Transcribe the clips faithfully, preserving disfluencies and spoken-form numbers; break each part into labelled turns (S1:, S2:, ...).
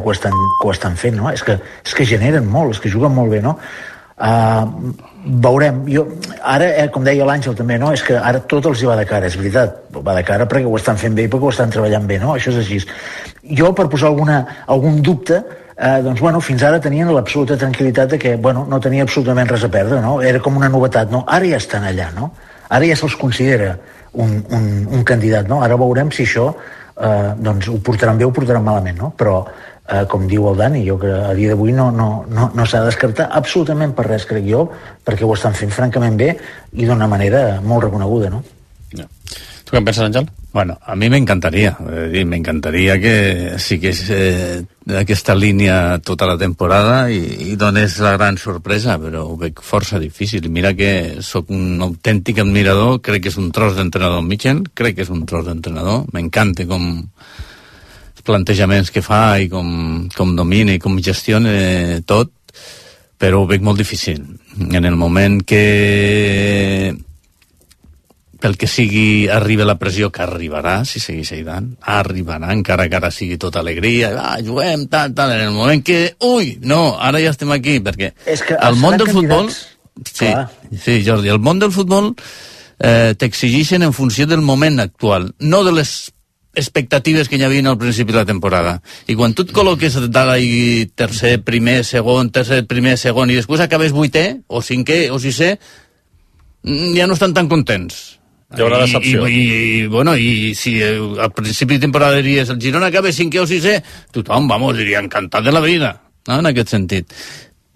S1: que ho estan, que ho estan fent, no? És que, és que generen molt, és que juguen molt bé, no? Uh, veurem. Jo, ara, eh, com deia l'Àngel també, no? És que ara tot els hi va de cara, és veritat. Va de cara perquè ho estan fent bé i perquè ho estan treballant bé, no? Això és així. Jo, per posar alguna, algun dubte, eh, doncs, bueno, fins ara tenien l'absoluta tranquil·litat de que, bueno, no tenia absolutament res a perdre, no? Era com una novetat, no? Ara ja estan allà, no? Ara ja se'ls considera un, un, un candidat, no? Ara veurem si això eh, doncs ho portaran bé o ho portaran malament, no? Però, eh, com diu el Dani, jo que a dia d'avui no, no, no, no s'ha de descartar absolutament per res, crec jo, perquè ho estan fent francament bé i d'una manera molt reconeguda, no?
S2: Ja. Tu què en penses, Àngel?
S3: Bueno, a mi m'encantaria, me encantaria que sigués eh, aquesta línia tota la temporada i, i donés la gran sorpresa, però ho veig força difícil. Mira que sóc un autèntic admirador, crec que és un tros d'entrenador Mitchell, crec que és un tros d'entrenador, m'encanta com els plantejaments que fa i com, com domina i com gestiona tot, però ho veig molt difícil. En el moment que pel que sigui arriba la pressió, que arribarà si segueix Zidane, arribarà encara que ara sigui tota alegria, ah, juguem, tal, tal, en el moment que, ui, no, ara ja estem aquí, perquè
S1: és que
S3: el món del futbol, sí,
S1: clar.
S3: sí, Jordi, el món del futbol eh, t'exigeixen en funció del moment actual, no de les expectatives que hi havia al principi de la temporada. I quan tu et col·loques dalt i tercer, primer, segon, tercer, primer, segon, i després acabes vuitè, o cinquè, o sisè, ja no estan tan contents.
S2: Hi haurà decepció.
S3: I, i, i, bueno, i si al principi de temporada diries el Girona acaba cinquè o sisè, tothom, vamos, diria encantat de la vida, no? En aquest sentit.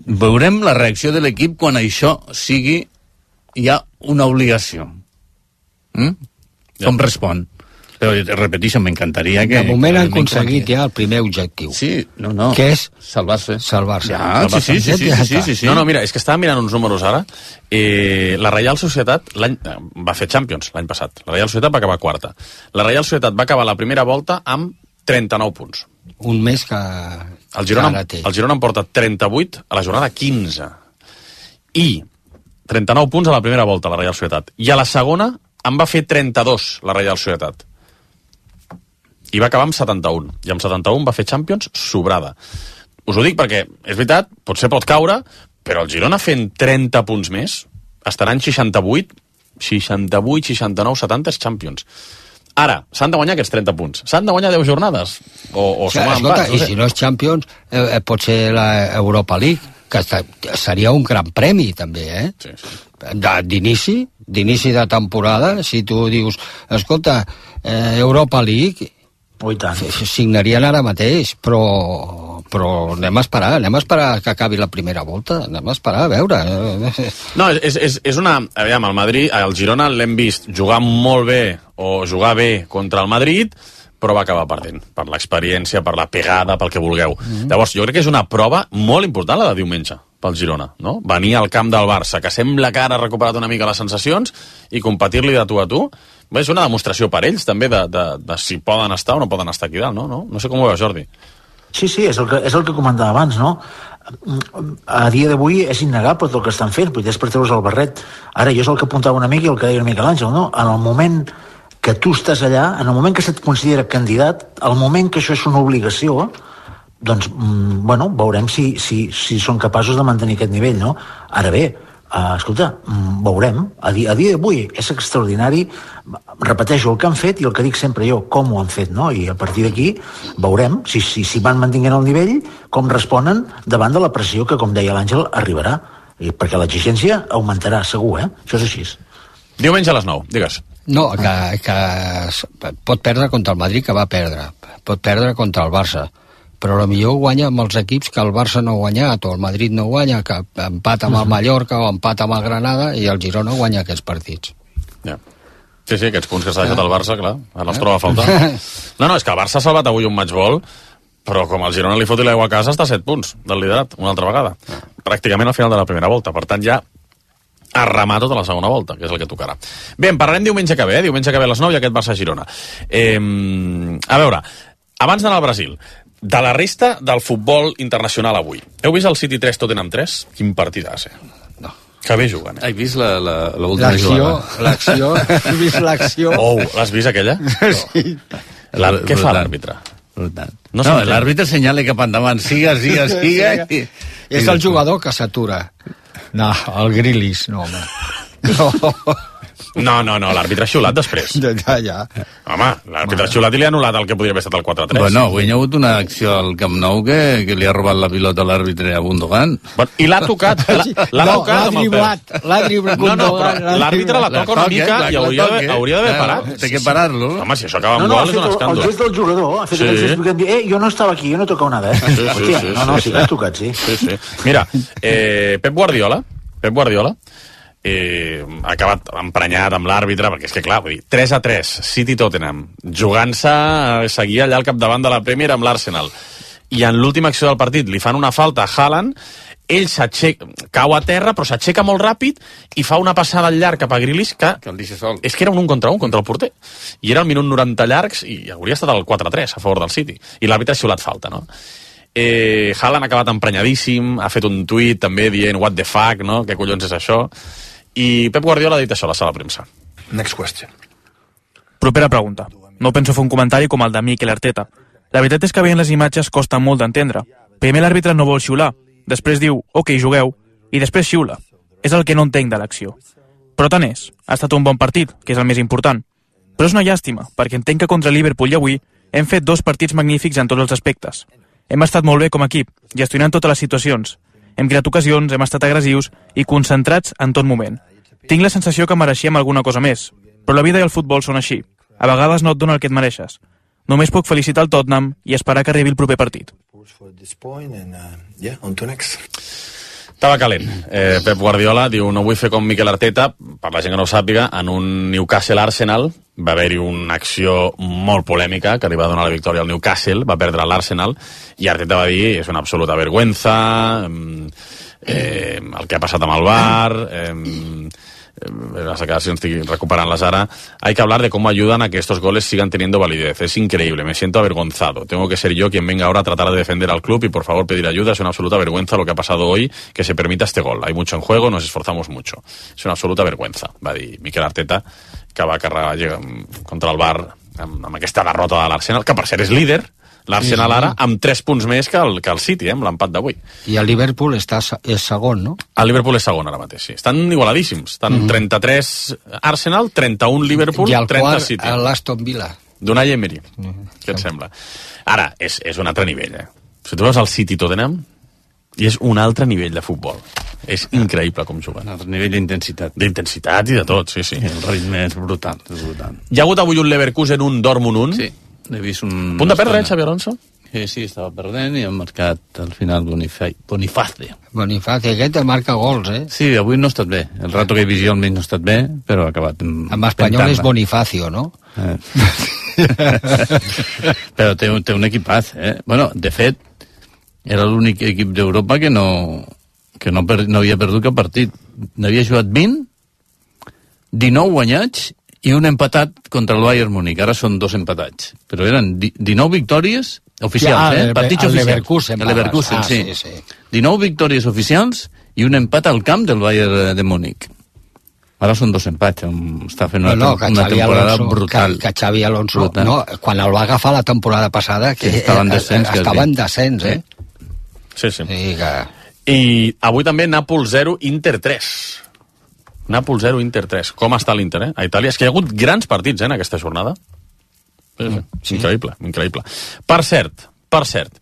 S3: Veurem la reacció de l'equip quan això sigui ja una obligació. Mm? Com ja. Respon? Però, repeteixo, m'encantaria que...
S4: De moment han aconseguit ja el primer objectiu.
S3: Sí, no, no.
S4: Que és?
S3: Salvar-se.
S4: Salvar-se.
S3: Ja,
S4: Salvar
S3: sí, sí, sí, sí, sí, sí, sí.
S2: No, no, mira, és que estava mirant uns números ara. Eh, la Reial Societat l'any va fer Champions l'any passat. La Reial Societat va acabar quarta. La Reial Societat va acabar la primera volta amb trenta-nou punts.
S4: Un més que...
S2: El Girona, el Girona en porta trenta-vuit a la jornada quinze. I trenta-nou punts a la primera volta, la Reial Societat. I a la segona en va fer trenta-dos, la Reial Societat. I va acabar amb setanta-un. I amb setanta-un va fer Champions sobrada. Us ho dic perquè, és veritat, potser pot caure, però el Girona fent trenta punts més, estaran seixanta-vuit, seixanta-vuit, seixanta-nou, setanta Champions. Ara, s'han de guanyar aquests trenta punts. S'han de guanyar deu jornades. O, o
S4: sí, sumar
S2: escolta,
S4: empats. No sé. I si no és Champions, eh, pot ser la Europa League, que seria un gran premi, també, eh?
S2: Sí, sí.
S4: D'inici, d'inici de temporada, si tu dius, escolta, eh, Europa League...
S1: Oh, i tant.
S4: Signarien ara mateix, però, però anem a esperar, anem a esperar que acabi la primera volta, anem a esperar a veure.
S2: No, és, és, és una... Aviam, el Madrid, el Girona l'hem vist jugar molt bé o jugar bé contra el Madrid, però va acabar perdent, per l'experiència, per la pegada, pel que vulgueu. Mm-hmm. Llavors, jo crec que és una prova molt important la de diumenge pel Girona, no? Venir al camp del Barça, que sembla que ara ha recuperat una mica les sensacions, i competir-li de tu a tu, és una demostració per ells, també, de, de, de si poden estar o no poden estar aquí dalt, no? No, no sé com ho veus, Jordi.
S1: Sí, sí, és el que, és el que comentava abans, no? A dia d'avui és innegable tot el que estan fent, potser és per treure's el barret. Ara, jo és el que apuntava una mica i el que deia una mica l'Àngel, no? En el moment que tu estàs allà, en el moment que se't considera candidat, al moment que això és una obligació, doncs, bueno, veurem si, si, si són capaços de mantenir aquest nivell, no? Ara bé, Uh, escolta, veurem. A dia, a dia d'avui és extraordinari. Repeteixo el que han fet i el que dic sempre jo, com ho han fet, no? I a partir d'aquí veurem si, si, si van mantenint el nivell, com responen davant de la pressió que, com deia l'Àngel, arribarà. I perquè l'exigència augmentarà, segur, eh? Això és així.
S2: Diumenge a les nou, digues.
S4: No, que, que pot perdre contra el Madrid, que va perdre. Pot perdre contra el Barça. Però potser guanya amb els equips que el Barça no ha guanyat, o el Madrid no guanya, que empata amb el Mallorca o empata amb el Granada, i el Girona guanya aquests partits.
S2: Ja. Sí, sí, aquests punts que s'ha deixat el Barça, clar, ara els troba a faltar. No, no, és que el Barça ha salvat avui un matchball, però com el Girona li foti l'aigua a casa, està a set punts del liderat, una altra vegada. Pràcticament al final de la primera volta, per tant ja a remar tota la segona volta, que és el que tocarà. Bé, en parlarem diumenge que ve, eh? Diumenge que ve a les nou i aquest Barça-Girona. Eh, a veure, abans d'anar al Brasil, de la resta del futbol internacional avui. Heu vist el City tres Tottenham tres? Quin partidàs, eh?
S4: No.
S2: Que bé juguen, eh?
S3: He vist la, la, l'última
S4: l'acció,
S3: jugada.
S4: l'acció, he vist l'acció.
S2: Oh, l'has vist aquella?
S4: Sí.
S2: La, què fa l'àrbitre?
S3: Brutal. No, no l'àrbitre senyala cap endavant, siga, siga, siga. I...
S4: És el jugador que s'atura. No, el Grilis, no, home. No.
S2: No, no, no, l'àrbitre ha xiulat després.
S4: Ja, ja.
S2: Home, l'àrbitre ha xiulat i li ha anul·lat el que podria haver estat el quatre tres.
S3: Bueno, avui hi ha hagut una acció al Camp Nou que, que li ha robat la pilota a l'àrbitre a Gundogan.
S2: Bueno, i l'ha tocat, l'ha
S4: no,
S2: tocat amb el peu.
S4: L'ha driblat,
S2: no, no, però l'àrbitre la toca una mica i hauria d'haver parat.
S3: Té que parar-lo.
S2: Home, si això acaba amb
S1: no, no,
S2: gol és un escàndol.
S1: El gest del jugador ha fet sí. el gest que eh, jo no estava aquí, jo no tocava nada, eh?
S2: Sí,
S1: Hòstia,
S2: sí, sí,
S1: no, no,
S2: sí,
S1: sí, l'ha tocat, sí.
S2: Sí, sí. Mira, eh, Pep Guardiola, Pep Guardiola, Eh, ha acabat emprenyat amb l'àrbitre perquè és que clar, vull dir, tres a tres City-Tottenham, jugant-se a seguir allà al capdavant de la Premier amb l'Arsenal, i en l'última acció del partit li fan una falta a Haaland, ell s'aixeca, cau a terra però s'aixeca molt ràpid i fa una passada al llarg cap a Grealish que,
S3: que el deixa sol.
S2: És que era un un contra un contra el porter i era el minut noranta llargs i hauria estat el quatre a tres a favor del City i l'àrbitre ha xiulat falta, no? Eh, Haaland ha acabat emprenyadíssim, ha fet un tuit també dient what the fuck, no? Què collons és això? I Pep Guardiola ha dit això a la sala de premsa.
S5: Next question.
S6: Propera pregunta. No penso fer un comentari com el de Mikel Arteta. La veritat és que veient les imatges costa molt d'entendre. Primer l'àrbitre no vol xiular, després diu, ok, jugueu, i després xiula. És el que no entenc de l'acció. Però tant és, ha estat un bon partit, que és el més important. Però és una llàstima, perquè entenc que contra Liverpool i avui hem fet dos partits magnífics en tots els aspectes. Hem estat molt bé com a equip, gestionant totes les situacions. Hem creat ocasions, hem estat agressius i concentrats en tot moment. Tinc la sensació que mereixíem alguna cosa més, però la vida i el futbol són així. A vegades no et dona el que et mereixes. Només puc felicitar el Tottenham i esperar que arribi el proper partit.
S2: Estava calent. Eh, Pep Guardiola diu, no vull fer com Mikel Arteta, per la gent que no ho sàpiga, en un Newcastle-Arsenal va haver-hi una acció molt polèmica que li va donar la victòria al Newcastle, va perdre l'Arsenal, i Arteta va dir, és una absoluta vergüenza, eh, el que ha passat amb el V A R, eh, las declaraciones estoy recuperándolas ahora. Hay que hablar de cómo ayudan a que estos goles sigan teniendo validez. Es increíble, me siento avergonzado. Tengo que ser yo quien venga ahora a tratar de defender al club y por favor pedir ayuda. Es una absoluta vergüenza lo que ha pasado hoy, que se permita este gol. Hay mucho en juego, nos esforzamos mucho. Es una absoluta vergüenza, va dir Mikel Arteta, que va carregar contra el V A R amb, amb aquesta derrota de l'Arsenal, que per cert és líder, l'Arsenal sí, sí. ara amb tres punts més que el, que el City, eh, amb l'empat d'avui.
S4: I el Liverpool està, és segon, no?
S2: El Liverpool és segon ara mateix, sí. Estan igualadíssims. Estan mm-hmm. trenta-tres Arsenal, trenta-un Liverpool,
S4: i el
S2: trenta
S4: quart,
S2: City.
S4: I l'Aston Villa.
S2: D'Unai Emery. Mm-hmm. Què et sembla? Ara, és, és un altre nivell, eh? Si tu veus el City Tottenham, i és un altre nivell de futbol. És increïble com juguen.
S3: Un altre nivell d'intensitat.
S2: D'intensitat i de tot, sí, sí.
S3: El ritme és brutal, és brutal.
S2: Hi ha hagut avui un Leverkusen, un Dortmund, un.
S3: Sí. He vist un...
S2: Punt de perdre, eh, Xavi Alonso?
S3: Sí, sí, estava perdent i han marcat al final Boniface. Boniface.
S4: Boniface, aquest marca gols, eh?
S3: Sí, avui no ha estat bé. El rato que he vist jo almenys no ha estat bé, però ha acabat...
S4: En espanyol és Bonifacio, no?
S3: Eh. Però té, té un equipàs, eh? Bueno, de fet, era l'únic equip d'Europa que no, que no, per, no havia perdut cap partit. N'havia jugat vint, dinou guanyats i un empatat contra el Bayern Múnich. Ara són dos empatats. Però eren dinou victòries oficials,
S4: ja,
S3: eh? Partits oficials.
S4: Leverkusen,
S3: el Leverkusen,
S4: ah,
S3: sí.
S4: sí, sí.
S3: dinou victòries oficials i un empat al camp del Bayern de Múnich. Ara són dos empats. Està fent una, no, no, una temporada Alonso, brutal.
S4: Que, que Xavi Alonso, brutal. No, quan el va agafar la temporada passada, que sí, estava en descens, eh, estava en descens, eh?
S2: Sí, sí.
S4: sí que...
S2: I avui també Nàpols zero, Inter tres. Nàpols zero, Inter tres. Com està l'Inter, eh? A Itàlia. És que hi ha hagut grans partits, eh, en aquesta jornada. Sí, sí. Increïble, increïble. Per cert, per cert,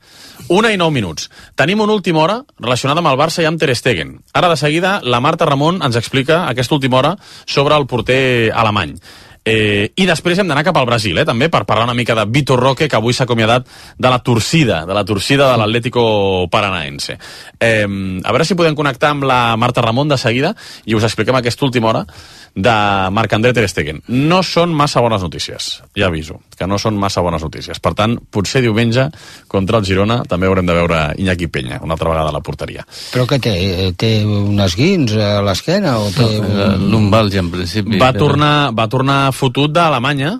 S2: una i nou minuts. Tenim una última hora relacionada amb el Barça i amb Ter Stegen. Ara, de seguida, la Marta Ramon ens explica aquesta última hora sobre el porter alemany. Eh, I després hem d'anar cap al Brasil, eh, també, per parlar una mica de Vitor Roque, que avui s'ha acomiadat de la torcida, de la torcida de l'Atlético Paranaense. Eh, a veure si podem connectar amb la Marta Ramon de seguida i us expliquem aquesta última hora de Marc-André Ter Stegen. No són massa bones notícies, ja aviso, que no són massa bones notícies. Per tant, potser diumenge, contra el Girona, també haurem de veure Iñaki Peña, una altra vegada a la porteria.
S4: Però què té? Té un esguins a l'esquena? O té un...
S3: Lumbalgia, en principi.
S2: Va tornar, va tornar fotut d'Alemanya,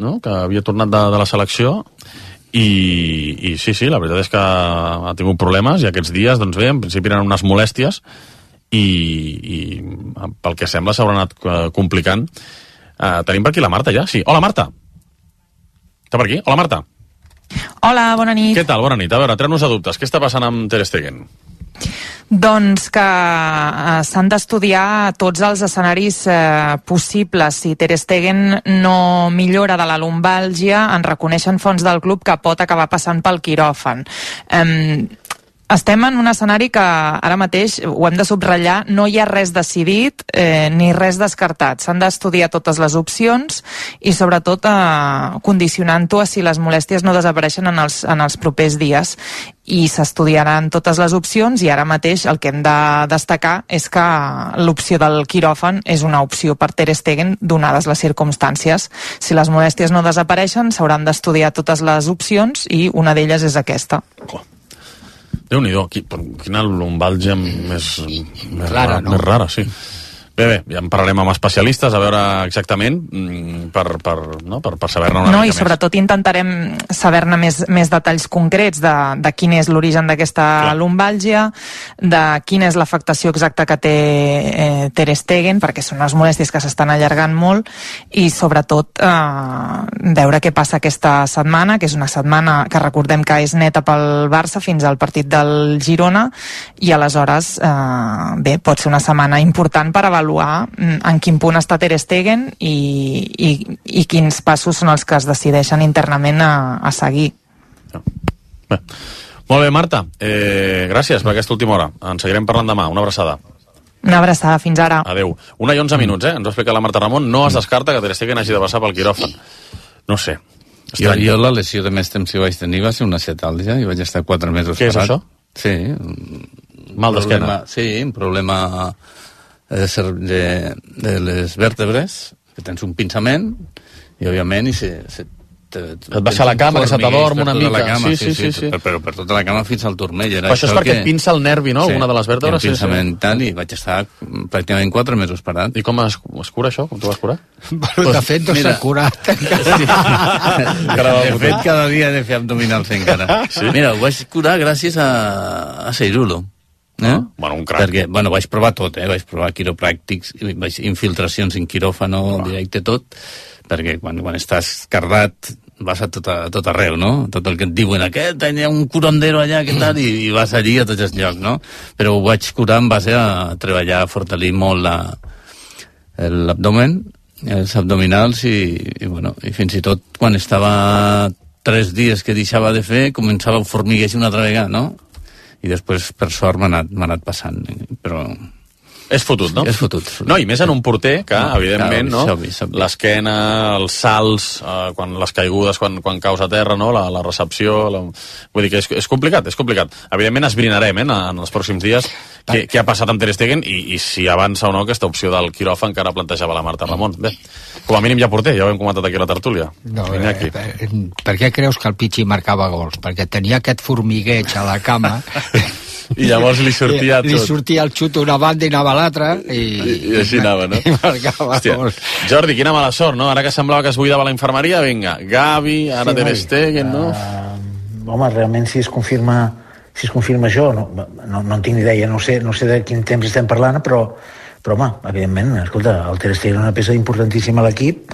S2: no? Que havia tornat de, de la selecció, i, i sí, sí, la veritat és que ha tingut problemes, i aquests dies, doncs bé, en principi eren unes molèsties, i, i pel que sembla s'haurà anat complicant. Uh, tenim per aquí la Marta ja? Sí. Hola, Marta. Està per aquí? Hola, Marta.
S5: Hola, bona nit.
S2: Què tal? Bona nit. A veure, treu-nos a dubtes. Què està passant amb Ter Stegen?
S5: Doncs que eh, s'han d'estudiar tots els escenaris eh, possibles. Si Ter Stegen no millora de la lumbàlgia, en reconeixen fons del club que pot acabar passant pel quiròfan. Eh, Estem en un escenari que ara mateix, ho hem de subratllar, no hi ha res decidit eh, ni res descartat. S'han d'estudiar totes les opcions i sobretot eh, condicionant-ho a si les molèsties no desapareixen en els, en els propers dies. I s'estudiaran totes les opcions i ara mateix el que hem de destacar és que l'opció del quiròfan és una opció per Ter Stegen donades les circumstàncies. Si les molèsties no desapareixen, s'hauran d'estudiar totes les opcions i una d'elles és aquesta.
S2: Oh. Déu-n'hi-do, quina lumbàlgia més, més
S4: Clara,
S2: rara,
S4: no?
S2: més rara, sí. Bé, bé, ja en parlarem amb especialistes a veure exactament per, per, no? per, per saber-ne una
S5: no,
S2: mica
S5: i sobretot més. Intentarem saber-ne més, més detalls concrets de, de quin és l'origen d'aquesta lumbàlgia, de quina és l'afectació exacta que té eh, Ter Stegen, perquè són unes molèsties que s'estan allargant molt, i sobretot eh, veure què passa aquesta setmana, que és una setmana que recordem que és neta pel Barça fins al partit del Girona, i aleshores eh, bé, pot ser una setmana important per avaluar en quin punt està Ter Stegen i, i, i quins passos són els que es decideixen internament a, a seguir.
S2: Bé. Molt bé, Marta. Eh, gràcies per aquesta última hora. En seguirem parlant demà. Una abraçada.
S5: Una abraçada. Fins ara.
S2: Adéu. Una i onze minuts, eh? Ens va explicar la Marta Ramon. No es descarta que Ter Stegen hagi de passar pel quiròfan. No sé.
S3: Jo, jo la lesió de més temps que vaig tenir va ser una acetàlgia i vaig estar quatre mesos
S2: Què
S3: parat.
S2: Què és això?
S3: Sí.
S2: Mal d'esquena.
S3: Sí, un problema de, de, de les vèrtebres, que tens un pinçament i òbviament i se, se, te,
S2: et baixa la cama, que se t'adorm una mica.
S3: Cama,
S2: sí, sí, sí, sí, sí.
S3: Per, però per tota la cama fins al turmell. Era
S2: però això és perquè que... et pinça el nervi, no?
S3: Sí,
S2: alguna de les vèrtebres.
S3: Sí, pinçament sí, sí. Tal, i vaig estar pràcticament quatre mesos parat.
S2: I com es, es cura això? Com t'ho vas curar?
S4: Bueno, de fet, no s'ha curat.
S3: Sí. De fet, cada dia he de fer abdominals encara. Sí? Mira, ho vaig curar gràcies a, a Seirulo. Eh?
S2: Ah, bueno, un crac.
S3: Perquè, bueno, vaig provar tot, eh? Vaig provar quiropràctics, vaig, infiltracions en quiròfano, ah. directe tot, perquè quan, quan estàs cardat vas a tot, a tot arreu, no? Tot el que et diuen, aquest, tenia un curandero allà, què tal, i, i vas allí a tots els llocs, no? Però ho vaig curar en base a treballar, a fortalir molt la, l'abdomen, els abdominals, i, i, bueno, i fins i tot quan estava tres dies que deixava de fer, començava a formigueixar una altra vegada, no? I després, per sort, m'ha anat, m'ha anat passant, però...
S2: És fotut, no?
S3: És fotut. fotut.
S2: No, i més en un porter que, no, evidentment,
S3: clar,
S2: no?
S3: Obvi, obvi.
S2: L'esquena, els salts, eh, quan les caigudes, quan, quan caus a terra, no? La, la recepció... La... Vull dir que és, és complicat, és complicat. Evidentment esbrinarem, eh, en els pròxims dies què, què ha passat amb Ter Stegen i, i si avança o no aquesta opció del quiròfan que ara plantejava la Marta Ramon. Bé, com a mínim ja porter, ja ho hem comentat aquí a la tertúlia.
S4: No, eh, per, per què creus que el Pichi marcava gols? Perquè tenia aquest formigueig a la cama...
S2: I llavors li sortia tot.
S4: Li sortia el xut una banda i anava a l'altra i...
S2: I, i així anava, no?
S4: I marcava.
S2: Hòstia, Jordi, quina mala sort, no? Ara que semblava que es buidava la infermeria, vinga, Gavi, ara sí, Ter Stegen, no?
S1: Uh, home, realment si es confirma si es confirma això, no, no, no en tinc ni idea, no sé, no sé de quin temps estem parlant, però, però home, evidentment, escolta, el Ter Stegen és una peça importantíssima a l'equip,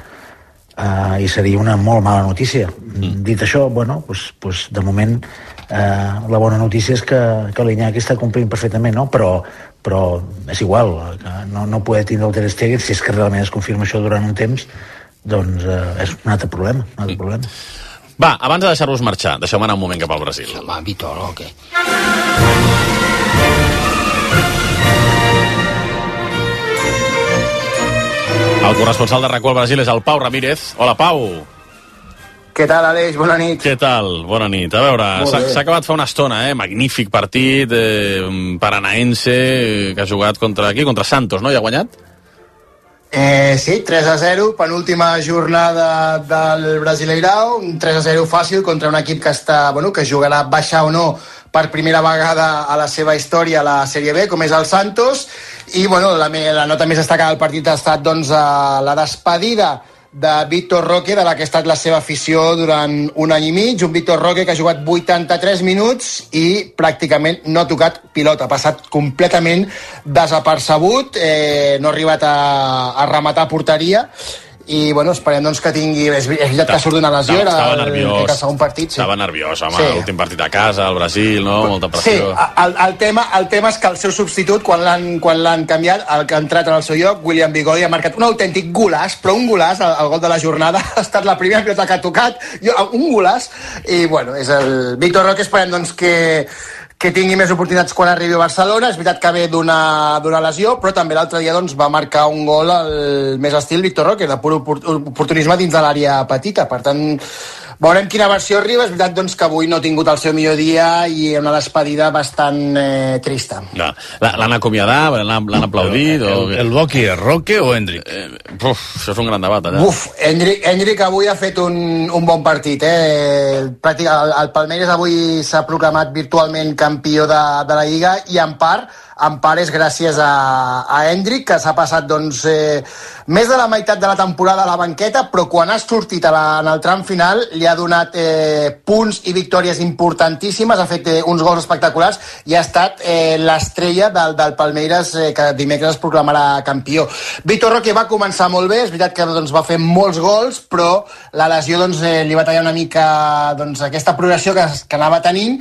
S1: uh, i seria una molt mala notícia. Mm. Dit això, bueno, pues, pues, de moment Uh, la bona notícia és que, que l'Iñaki està complint perfectament, no? Però, però és igual, que no, no poder tindre el Ter Stegen, si és que realment es confirma això durant un temps, doncs uh, és un altre problema, un altre problema.
S2: Va, abans de deixar-vos marxar, deixeu-me anar un moment cap al Brasil.
S4: Home, Vitolo, què?
S2: El corresponsal de RAC u al Brasil és el Pau Ramírez. Hola, Pau.
S7: Què tal, Aleix? Bona nit.
S2: Què tal? Bona nit. A veure, s'ha acabat fa una estona, eh? Magnífic partit, eh, paranaense, que ha jugat contra aquí, contra Santos, no? I ha guanyat?
S7: Eh, sí, tres a zero, penúltima jornada del Brasileirao, un tres a zero fàcil contra un equip que està, bueno, que jugarà baixar o no per primera vegada a la seva història a la Sèrie B, com és el Santos, i bueno, la, la nota més destacada del partit ha estat doncs, la despedida de Víctor Roque, de la que ha estat la seva afició durant un any i mig, un Víctor Roque que ha jugat vuitanta-tres minuts i pràcticament no ha tocat pilota, ha passat completament desapercebut, eh, no ha arribat a, a rematar porteria i bueno, esperem doncs, que tingui... És veritat que surt d'una lesió, era
S2: estava
S7: el,
S2: nerviós,
S7: el segon partit. Sí.
S2: Estava nerviós, home,
S7: sí.
S2: l'últim partit a casa, al Brasil, no? Molta pressió.
S7: Sí, el, el, tema, el tema és que el seu substitut, quan l'han quan l'han canviat, el que ha entrat en el seu lloc, William Bigodi, ha marcat un autèntic golaç, però un golaç, el, el gol de la jornada, ha estat la primera pilota que ha tocat, jo, un golaç, i bueno, és el Víctor Roque, esperem doncs que que tingui més oportunitats quan arribi a Barcelona. És veritat que ve d'una lesió, però també l'altre dia doncs, va marcar un gol al més estil Víctor Roque, de pur oportunisme dins de l'àrea petita. Per tant, veurem quina versió arriba. És veritat doncs, que avui no ha tingut el seu millor dia i una despedida bastant eh, trista.
S2: Ja. L'han acomiadat, l'han aplaudit?
S3: El, el, el Boqui és Roque o Hendrik?
S2: Eh, uf, això és un gran debat, allà.
S7: Uf, Hendrik, Hendrik avui ha fet un, un bon partit. Eh? Pràctic, el, el Palmeiras avui s'ha proclamat virtualment campió de, de la Lliga i en part en part és gràcies a, a Hendrik, que s'ha passat doncs, eh, més de la meitat de la temporada a la banqueta, però quan ha sortit a la, en el tram final li ha donat eh, punts i victòries importantíssimes, ha fet eh, uns gols espectaculars i ha estat eh, l'estrella del, del Palmeiras, eh, que dimecres es proclamarà campió. Víctor Roque va començar molt bé, és veritat que doncs, va fer molts gols, però la lesió doncs, eh, li va tallar una mica doncs, aquesta progressió que, que anava tenint,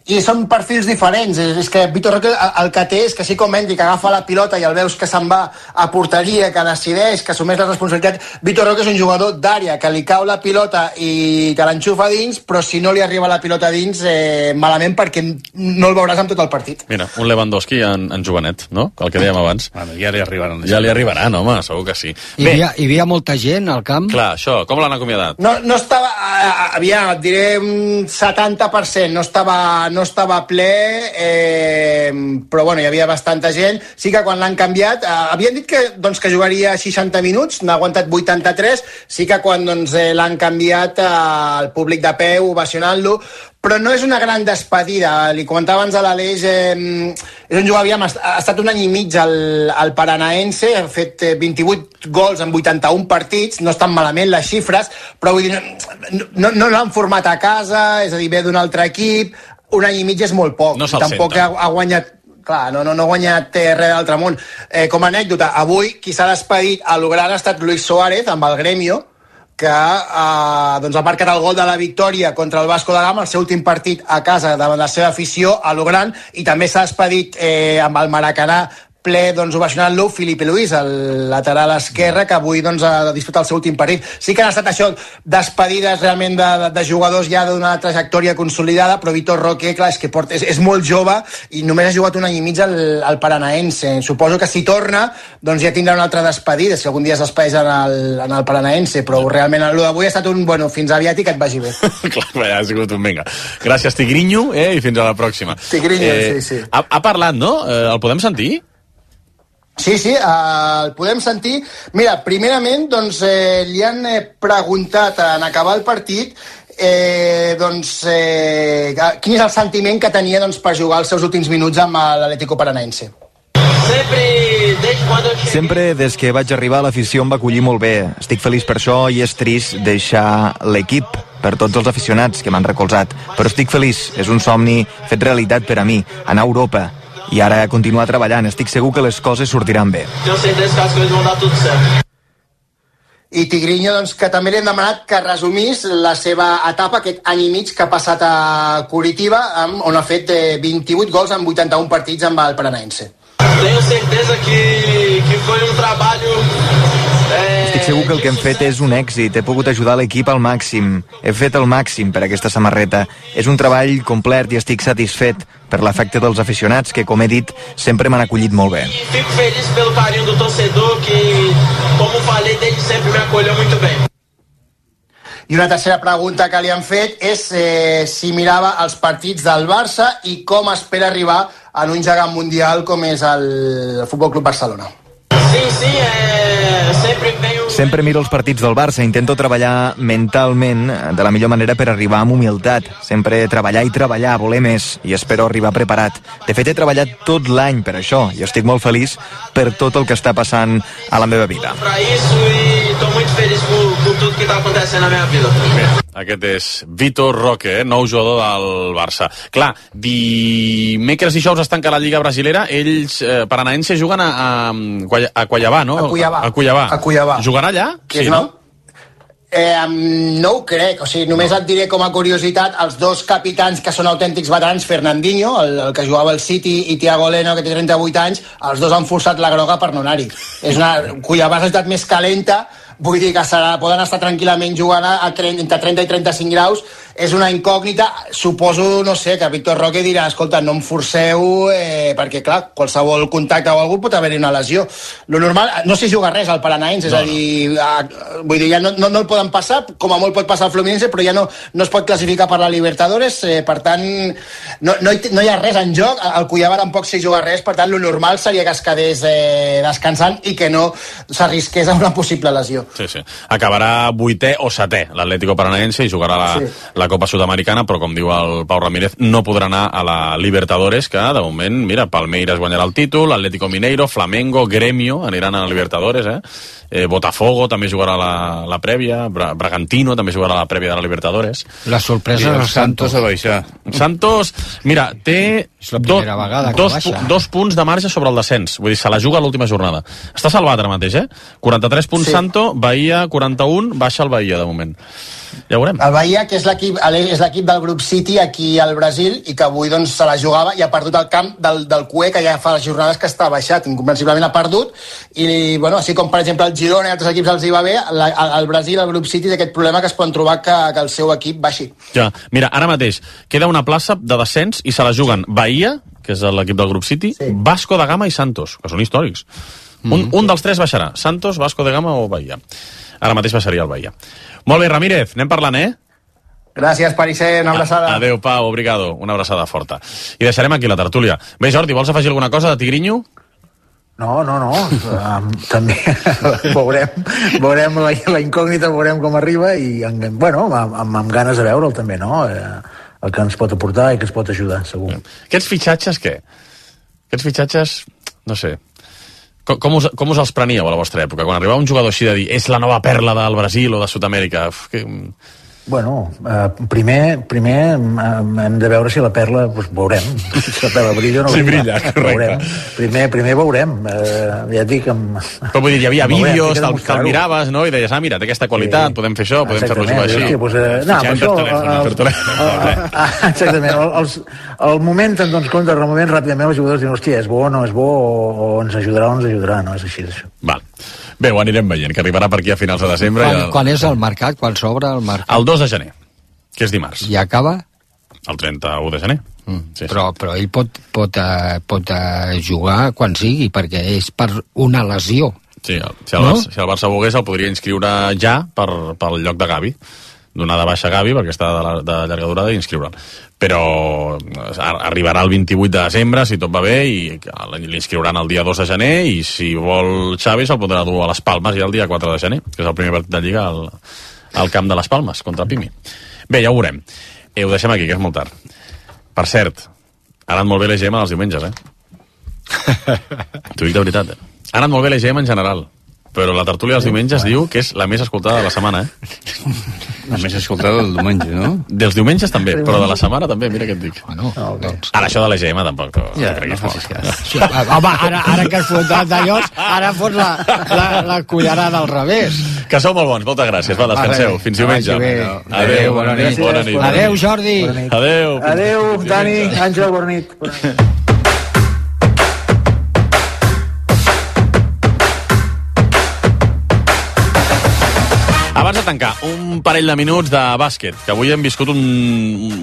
S7: i són perfils diferents. És, és que Víctor Roque el, el que té és que així com Hendrik agafa la pilota i el veus que se'n va a porteria, que decideix, que assumeix la responsabilitat, Víctor Roque és un jugador d'àrea, que li cau la pilota i que l'enxufa dins, però si no li arriba la pilota dins, eh, malament, perquè no el veuràs amb tot el partit.
S2: Mira, un Lewandowski en, en jovenet, no? El que dèiem abans.
S3: Bueno, ja li arribaran.
S2: Ja li arribaran, home, segur que sí.
S4: Hi havia, hi havia molta gent al camp?
S2: Clar, això, com l'han acomiadat?
S7: No, no estava, aviam, et diré un setanta per cent, no estava, no estava ple, eh, però bueno, hi havia bastanta gent. Sí que quan l'han canviat, eh, havien dit que, doncs, que jugaria seixanta minuts, n'ha aguantat vuitanta-tres, sí que quan doncs, eh, l'han canviat eh, el públic de peu ovacionant-lo, però no és una gran despedida. Li comentava abans a l'Aleix, eh, és un jugador, aviam, ha estat un any i mig al, al Paranaense, ha fet eh, vint-i-vuit gols en vuitanta-un partits, no estan malament les xifres, però vull dir, no, no, no l'han format a casa, és a dir, ve d'un altre equip, un any i mig és molt poc.
S2: No se'l
S7: tampoc ha, ha guanyat, clar, no, no, no ha guanyat eh, res d'altre món. Eh, com a anècdota, avui qui s'ha despedit a lo gran ha estat Luis Suárez amb el Gremio, que eh, doncs ha marcat el gol de la victòria contra el Vasco da Gama, el seu últim partit a casa davant la seva afició a lo gran, i també s'ha despedit eh, amb el Maracanà ple, doncs, ovacionant-lo, Filipe Luis, el lateral esquerre, que avui doncs, ha disputat el seu últim partit. Sí que han estat això, despedides realment de, de, de jugadors ja d'una trajectòria consolidada, però Víctor Roque, clar, és que porta, és, és molt jove i només ha jugat un any i mig al, al Paranaense. Suposo que si torna, doncs ja tindrà una altra despedida, si algun dia es despedeix en el, en el Paranaense, però realment el d'avui ha estat un, bueno, fins aviat i que et vagi bé.
S2: Clar, ja ha sigut un vinga. Gràcies, Tigrinho, eh, i fins a la pròxima.
S7: Tigrinho, eh, sí, sí.
S2: Ha, ha parlat, no? Eh, el podem sentir?
S7: Sí, sí, eh, el podem sentir. Mira, primerament, doncs, eh, li han eh, preguntat en acabar el partit eh, doncs, eh, quin és el sentiment que tenia doncs, per jugar els seus últims minuts amb l'Atlético Paranaense.
S8: Sempre des que vaig arribar l'afició em va acollir molt bé. Estic feliç per això i és trist deixar l'equip per tots els aficionats que m'han recolzat. Però estic feliç, és un somni fet realitat per a mi, anar a Europa. I ara continuar treballant, estic segur que les coses sortiran bé.
S7: I Tigrinho, doncs, que també li hem demanat que resumís la seva etapa, aquest any i mig que ha passat a Curitiba, on ha fet vint-i-vuit gols en vuitanta-un partits amb el Paranaense.
S9: Tenho certeza que, que foi un trabalho...
S8: Estic segur que el que hem fet és un èxit. He pogut ajudar l'equip al màxim. He fet el màxim per aquesta samarreta. És un treball complet i estic satisfet per l'efecte dels aficionats que, com he dit, sempre m'han acollit molt bé.
S9: Fico feliz pelo carinho do torcedor que, como falei, desde sempre me acolheu muito bem.
S7: I una tercera pregunta que li han fet és eh, si mirava els partits del Barça i com espera arribar en un gegant mundial com és el Futbol Club Barcelona.
S9: Sí, sí, eh, sempre venho...
S8: Sempre miro els partits del Barça, intento treballar mentalment de la millor manera per arribar amb humilitat. Sempre treballar i treballar, voler més, i espero arribar preparat. De fet, he treballat tot l'any per això, i estic molt feliç per tot el que està passant a la meva vida.
S9: Para isso e estou muito feliz por, por tudo que está acontecendo na minha vida.
S2: Bé, aquest és Víctor Roque, eh? Nou jugador del Barça. Clar, dimecres i dijous es tanca la Lliga Brasilera, ells, eh, Paranaense, juguen a, a, a Cuiabá, no?
S7: A Cuiabá.
S2: A Cuiabá.
S7: A Cuiabá.
S2: Jugarà allà?
S7: Que
S2: sí,
S7: és una,
S2: no?
S7: Eh, no ho crec, o sigui, només et diré com a curiositat, els dos capitans que són autèntics veterans, Fernandinho, el, el que jugava al City, i Thiago Leno, que té trenta-vuit anys, els dos han forçat la groga per no anar-hi. És una cuya base més calenta, vull dir que serà, poden estar tranquil·lament jugant a trenta, entre trenta i trenta-cinc graus, és una incògnita. Suposo, no sé, que Víctor Roque dirà, escolta, no em forceu, eh, perquè, clar, qualsevol contacte o algú pot haver-hi una lesió. Lo normal, no s'hi juga res al Paranaense, és no, a dir, no. a, vull dir, ja no, no, no el poden passar, com a molt pot passar al Fluminense, però ja no, no es pot classificar per la Libertadores, eh, per tant, no, no, hi, no hi ha res en joc, el Cuiabá tampoc s'hi juga res, per tant, lo normal seria que es quedés eh, descansant i que no s'arrisqués a una possible lesió.
S2: Sí, sí. Acabarà vuitè o setè l'Atlético Paranaense i jugarà la, sí. la Copa Sud-americana, però com diu el Pau Ramírez, no podrà anar a la Libertadores, que de moment, mira, Palmeiras guanyarà el títol, Atlético Mineiro, Flamengo, Gremio aniran a la Libertadores, eh? eh Botafogo també jugarà la, la prèvia, Bra Bragantino també jugarà la prèvia de la Libertadores.
S4: La sorpresa és el Santos
S3: a baixar.
S2: Santos, mira, té do, dos, dos punts de marge sobre el descens, vull dir, se la juga a l'última jornada. Està salvat ara mateix, eh? quaranta-tres punts sí. Santo, Bahia quaranta-un, baixa el Bahia de moment. Ja veurem.
S7: El Bahia, que és l'equip és l'equip del grup City aquí al Brasil i que avui doncs, se la jugava i ha perdut el camp del, del Cue, que ja fa les jornades que està baixat, incomprensiblement ha perdut, i bueno, així com per exemple el Girona i altres equips els hi va bé, la, al Brasil el grup City té aquest problema que es poden trobar que, que el seu equip baixi.
S2: Ja, mira, ara mateix queda una plaça de descens i se la juguen Bahia, que és l'equip del grup City, sí. Vasco da Gama i Santos, que són històrics. Mm. Un, un dels tres baixarà, Santos, Vasco da Gama o Bahia. Ara mateix baixaria el Bahia. Molt bé, Ramírez, anem parlant, eh?
S7: Gràcies, Pariser, una abraçada.
S2: Adéu, Pau, obrigado, una abraçada forta. I deixarem aquí la tertúlia. Bé, Jordi, vols afegir alguna cosa de Tigrinho?
S1: No, no, no, um, també veurem, veurem la, la incògnita, veurem com arriba i, bueno, amb, amb, amb ganes de veure'l també, no? Eh, el que ens pot aportar i que ens pot ajudar, segur.
S2: Aquests fitxatges, què? Aquests fitxatges, no sé, com, com, us, com us els preníeu a la vostra època? Quan arribava un jugador així de dir, és la nova perla del Brasil o de Sud-amèrica, que...
S1: Bueno, eh, primer, primer eh, hem de veure si la perla, doncs veurem. Si la perla brilla o no
S2: sí, brilla. Correcte.
S1: Veurem. Primer, primer veurem. Eh, ja et dic... Amb...
S2: Però vull dir, hi havia vídeos, te'l te miraves, no? I deies, ah, mira, té aquesta qualitat, sí. Podem fer això, podem fer-lo jugar així.
S1: Sí, pues, eh, no, per això...
S2: Telèfon,
S1: el, el, exactament. El, els, el moment, en doncs compte, el moment, ràpidament els jugadors diuen, hòstia, és bo o no és bo, o, o ens ajudarà o no ens ajudarà, no? És així, això.
S2: Val. Bé, ho anirem veient, que arribarà per aquí a finals de desembre.
S4: Quan,
S2: el...
S4: quan és el mercat? Quan s'obre el mercat?
S2: El dos de gener, que és dimarts.
S4: I acaba?
S2: El trenta-u de gener.
S4: Mm. Sí, però, sí. però ell pot, pot, uh, pot uh, jugar quan sigui, perquè és per una lesió.
S2: Sí, si el, no? Barça, si el Barça volgués el podria inscriure ja per, pel lloc de Gavi. Donar de baixa a Gavi perquè està de, la, de llarga durada i inscriure'l. Però arribarà el vint-i-vuit de desembre, si tot va bé, i l'inscriuran el dia dos de gener, i si vol Xavi se'l podrà dur a les Palmes ja el dia quatre de gener, que és el primer partit de Lliga al, al camp de les Palmes, contra Pimi. Bé, ja ho veurem. Eh, ho deixem aquí, que és molt tard. Per cert, ha anat molt bé l'E G M els diumenges, eh? T'ho dic de veritat, eh? Ha anat molt bé l'E G M en general, però la tertúlia dels diumenges diu que és la més escoltada de la setmana, eh?
S3: La més escoltada del diumenge, no?
S2: Dels diumenges també, però de la setmana també, mira què et dic.
S4: Bueno, no, doncs...
S2: Ara, això de l'E G M tampoc,
S3: ja,
S2: no crec que és molt.
S4: Sí, home, ara, ara que has fotat d'allò, ara fots la, la, la cullerada al revés.
S2: Que sou molt bons, moltes gràcies. Va, descanseu. Fins diumenge.
S4: Adéu,
S2: adéu, bona nit. Bona nit.
S4: Adéu, Jordi.
S2: Adéu.
S1: Adéu, Dani, Àngel, bona nit. Bona nit.
S2: Abans de tancar, un parell de minuts de bàsquet, que avui hem viscut un,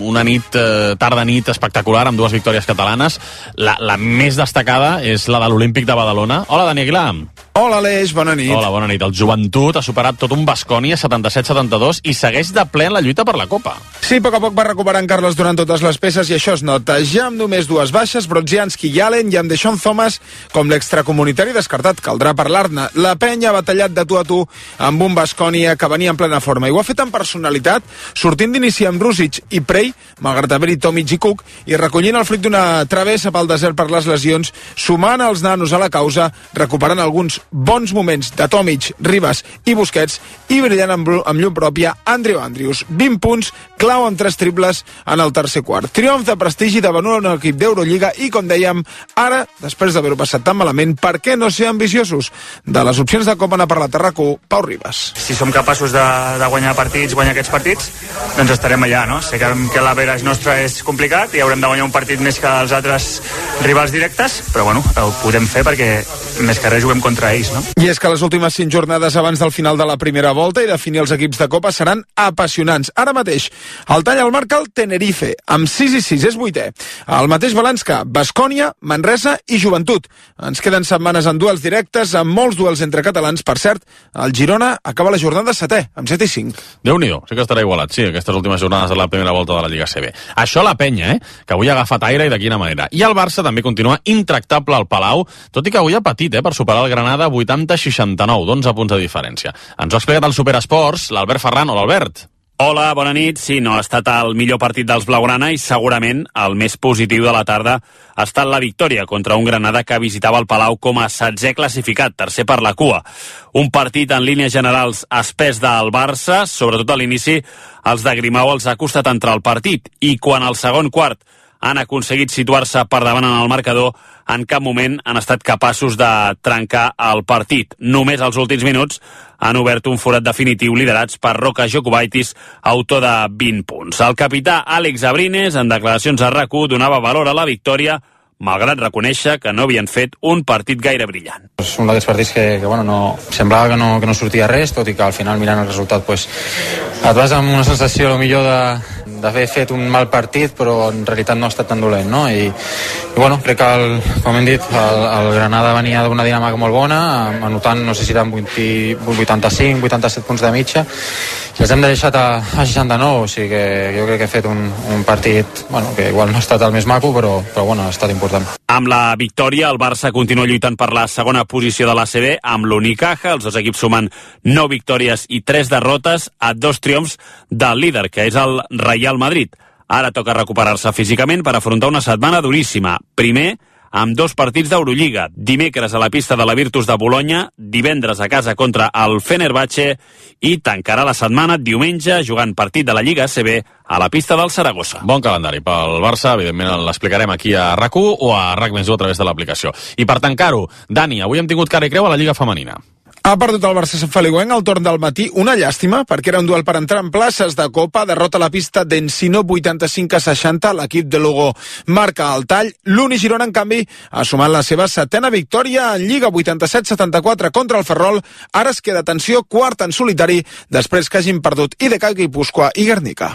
S2: una nit, eh, tarda nit espectacular amb dues victòries catalanes. La, la més destacada és la de l'Olímpic de Badalona. Hola, Dani Aguilar.
S10: Hola, Aleix, bona nit.
S2: Hola, bona nit. El Joventut ha superat tot un Baskonia setanta-set setanta-dos i segueix de ple en la lluita per la Copa.
S10: Sí, a poc a poc va recuperant Carles durant totes les peces i això es nota. Ja amb només dues baixes, Brodzianski i Allen, i amb Deshaun Thomas com l'extracomunitari descartat. Caldrà parlar-ne. La penya ha batallat de tu a tu amb un Baskonia que venia en plena forma i ho ha fet amb personalitat, sortint d'inici amb Rusic i Prey, malgrat haver-hi Tomic i Cook, i recollint el fruit d'una travessa pel desert per les lesions, sumant els nanos a la causa, recuperant alguns bons moments de Tomic, Ribas i Busquets i brillant amb, amb llum pròpia Andrew Andrews. vint punts, clau amb tres triples en el tercer quart. Triomf de prestigi davant un equip d'Eurolliga i, com dèiem, ara, després d'haver-ho passat tan malament, per què no ser ambiciosos? De les opcions de Copa n'ha parlat a RAC u, Pau Ribas.
S11: Si som capaços de, de guanyar partits, guanyar aquests partits, doncs estarem allà, no? Sé que, que l'average nostre és complicat i haurem de guanyar un partit més que els altres rivals directes, però bueno, ho podem fer perquè més que res juguem contra ells, no?
S10: I és que les últimes cinc jornades abans del final de la primera volta i definir els equips de Copa seran apassionants. Ara mateix, el tall al marca el Tenerife, amb sis i sis, és vuitè. El mateix balanç que Baskònia, Manresa i Joventut. Ens queden setmanes en duels directes, amb molts duels entre catalans. Per cert, el Girona acaba la jornada setè, amb set i cinc.
S2: Déu-n'hi-do, sí que estarà igualat, sí, aquestes últimes jornades de la primera volta de la Lliga C B. Això la penya, eh?, que avui ha agafat aire i de quina manera. I el Barça també continua intractable al Palau, tot i que avui ha patit, eh, per superar el Granada vuitanta a seixanta-nou, d'onze punts de diferència. Ens ho ha explicat el Superesports, l'Albert Ferran. Hola, Albert.
S12: Hola, bona nit. Sí, no ha estat el millor partit dels blaugrana i segurament el més positiu de la tarda ha estat la victòria contra un Granada que visitava el Palau com a setzè classificat, tercer per la cua. Un partit en línies generals espès del Barça, sobretot a l'inici els de Grimau els ha costat entrar al partit i quan al segon quart han aconseguit situar-se per davant en el marcador, en cap moment han estat capaços de trencar el partit. Només als últims minuts han obert un forat definitiu liderats per Roca Jokubaitis, autor de vint punts. El capità Àlex Abrines, en declaracions a RAC u, donava valor a la victòria, malgrat reconèixer que no havien fet un partit gaire brillant.
S13: És un d'aquests partits que, que bueno, no, semblava que no, que no sortia res, tot i que al final, mirant el resultat, pues, et vas amb una sensació millor de d'haver fet un mal partit, però en realitat no ha estat tan dolent, no? I, i bueno, crec que, el, com hem dit, el, el Granada venia d'una dinàmica molt bona, anotant, no sé si eren vuitanta-cinc, vuitanta-set punts de mitja, i els hem deixat a, a seixanta-nou, o sigui que jo crec que he fet un, un partit, bueno, que igual no ha estat el més maco, però, però bueno, ha estat important.
S12: Amb la victòria, el Barça continua lluitant per la segona posició de la C B amb l'Unicaja. Els dos equips sumen nou victòries i tres derrotes a dos triomfs del líder, que és el Real Madrid. Ara toca recuperar-se físicament per afrontar una setmana duríssima. Primer, amb dos partits d'Eurolliga. Dimecres a la pista de la Virtus de Bolonya, divendres a casa contra el Fenerbahçe i tancarà la setmana diumenge jugant partit de la Lliga A C B a la pista del Saragossa.
S2: Bon calendari pel Barça, evidentment l'explicarem aquí a RAC u o a RAC més u a través de l'aplicació. I per tancar-ho, Dani, avui hem tingut cara i creu a la Lliga Femenina.
S10: Ha perdut el Barça Sant Feliuenc al torn del matí, una llàstima, perquè era un duel per entrar en places de Copa, derrota a la pista d'Encino vuitanta-cinc a seixanta, l'equip de Lugo marca el tall, l'Uni Girona, en canvi, ha sumat la seva setena victòria en Lliga, vuitanta-set setanta-quatre contra el Ferrol, ara es queda, atenció, quart en solitari, després que hagin perdut I D K, Guipúscoa i Guernica.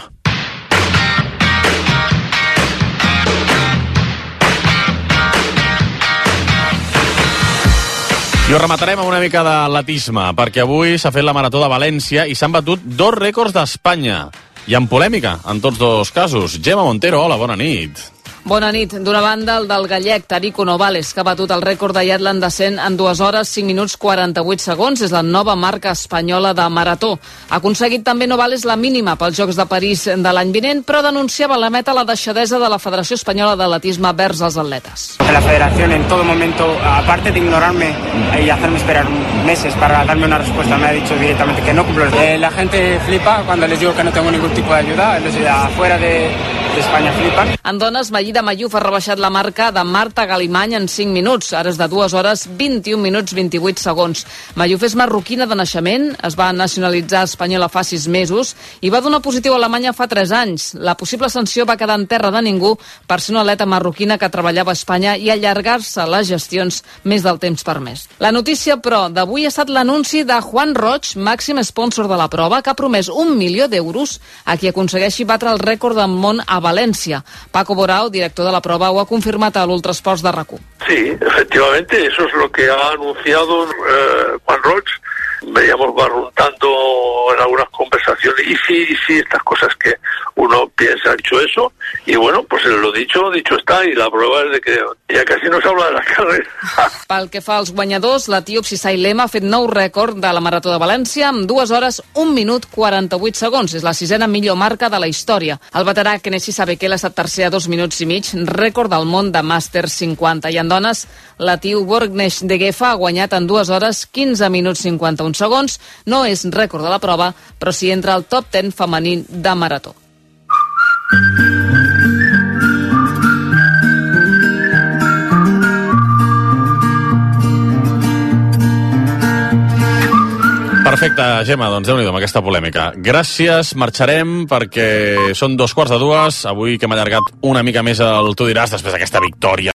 S2: I ho rematarem amb una mica d'atletisme, perquè avui s'ha fet la Marató de València i s'han batut dos rècords d'Espanya. I amb polèmica, en tots dos casos. Gemma Montero, hola, bona nit.
S14: Bona nit. D'una banda, el del gallec Tarico Novales, que ha batut el rècord de Iatlan descent en dues hores, cinc minuts, quaranta-vuit segons. És la nova marca espanyola de marató. Ha aconseguit també Novales la mínima pels Jocs de París de l'any vinent, però denunciava a la meta la deixadesa de la Federació Espanyola d'Atletisme vers els atletes.
S15: La Federación en todo momento, aparte de ignorarme y hacerme esperar meses para darme una respuesta, me ha dicho directamente que no cumplo. Eh, la gente flipa cuando les digo que no tengo ningún tipo de ayuda, los de afuera de, de España flipan.
S14: En dones, Maïda Mayuf ha rebaixat la marca de Marta Galimany en cinc minuts, ara és de dues hores, vint-i-un minuts, vint-i-vuit segons. Mayuf és marroquina de naixement, es va nacionalitzar espanyola fa sis mesos i va donar positiu a Alemanya fa tres anys. La possible sanció va quedar en terra de ningú per ser una atleta marroquina que treballava a Espanya i allargar-se les gestions més del temps permès. La notícia, però, d'avui ha estat l'anunci de Juan Roig, màxim sponsor de la prova, que ha promès un milió d'euros a qui aconsegueixi batre el rècord del món a València. Paco Borao, director de la prova, ho ha confirmat a l'Ultrasports de RAC u.
S16: Sí, efectivamente, eso es lo que ha anunciado eh, Juan Roig, veníamos barruntando en algunas conversaciones, y sí, y sí, estas cosas que uno piensa, ha dicho eso, y bueno, pues lo dicho, dicho está, y la prueba es de que ya casi no se habla de la carrera.
S14: Pel que fa als guanyadors, l'etíop Sisai Lema ha fet nou rècord de la Marató de València amb dues hores, un minut, quaranta-vuit segons. És la sisena millor marca de la història. El veterà Kenesi Sabekele ha estat tercer a dos minuts i mig, rècord del món de Màster cinquanta. I en dones, l'etíop Borgnesh de Gefa ha guanyat en dues hores, quinze minuts, cinquanta-un segons. No és rècord de la prova, però sí entra al top deu femení de marató.
S2: Perfecte, Gemma, doncs Déu-n'hi-do amb aquesta polèmica. Gràcies, marxarem perquè són dos quarts de dues. Avui que hem allargat una mica més el Tu diràs després d'aquesta victòria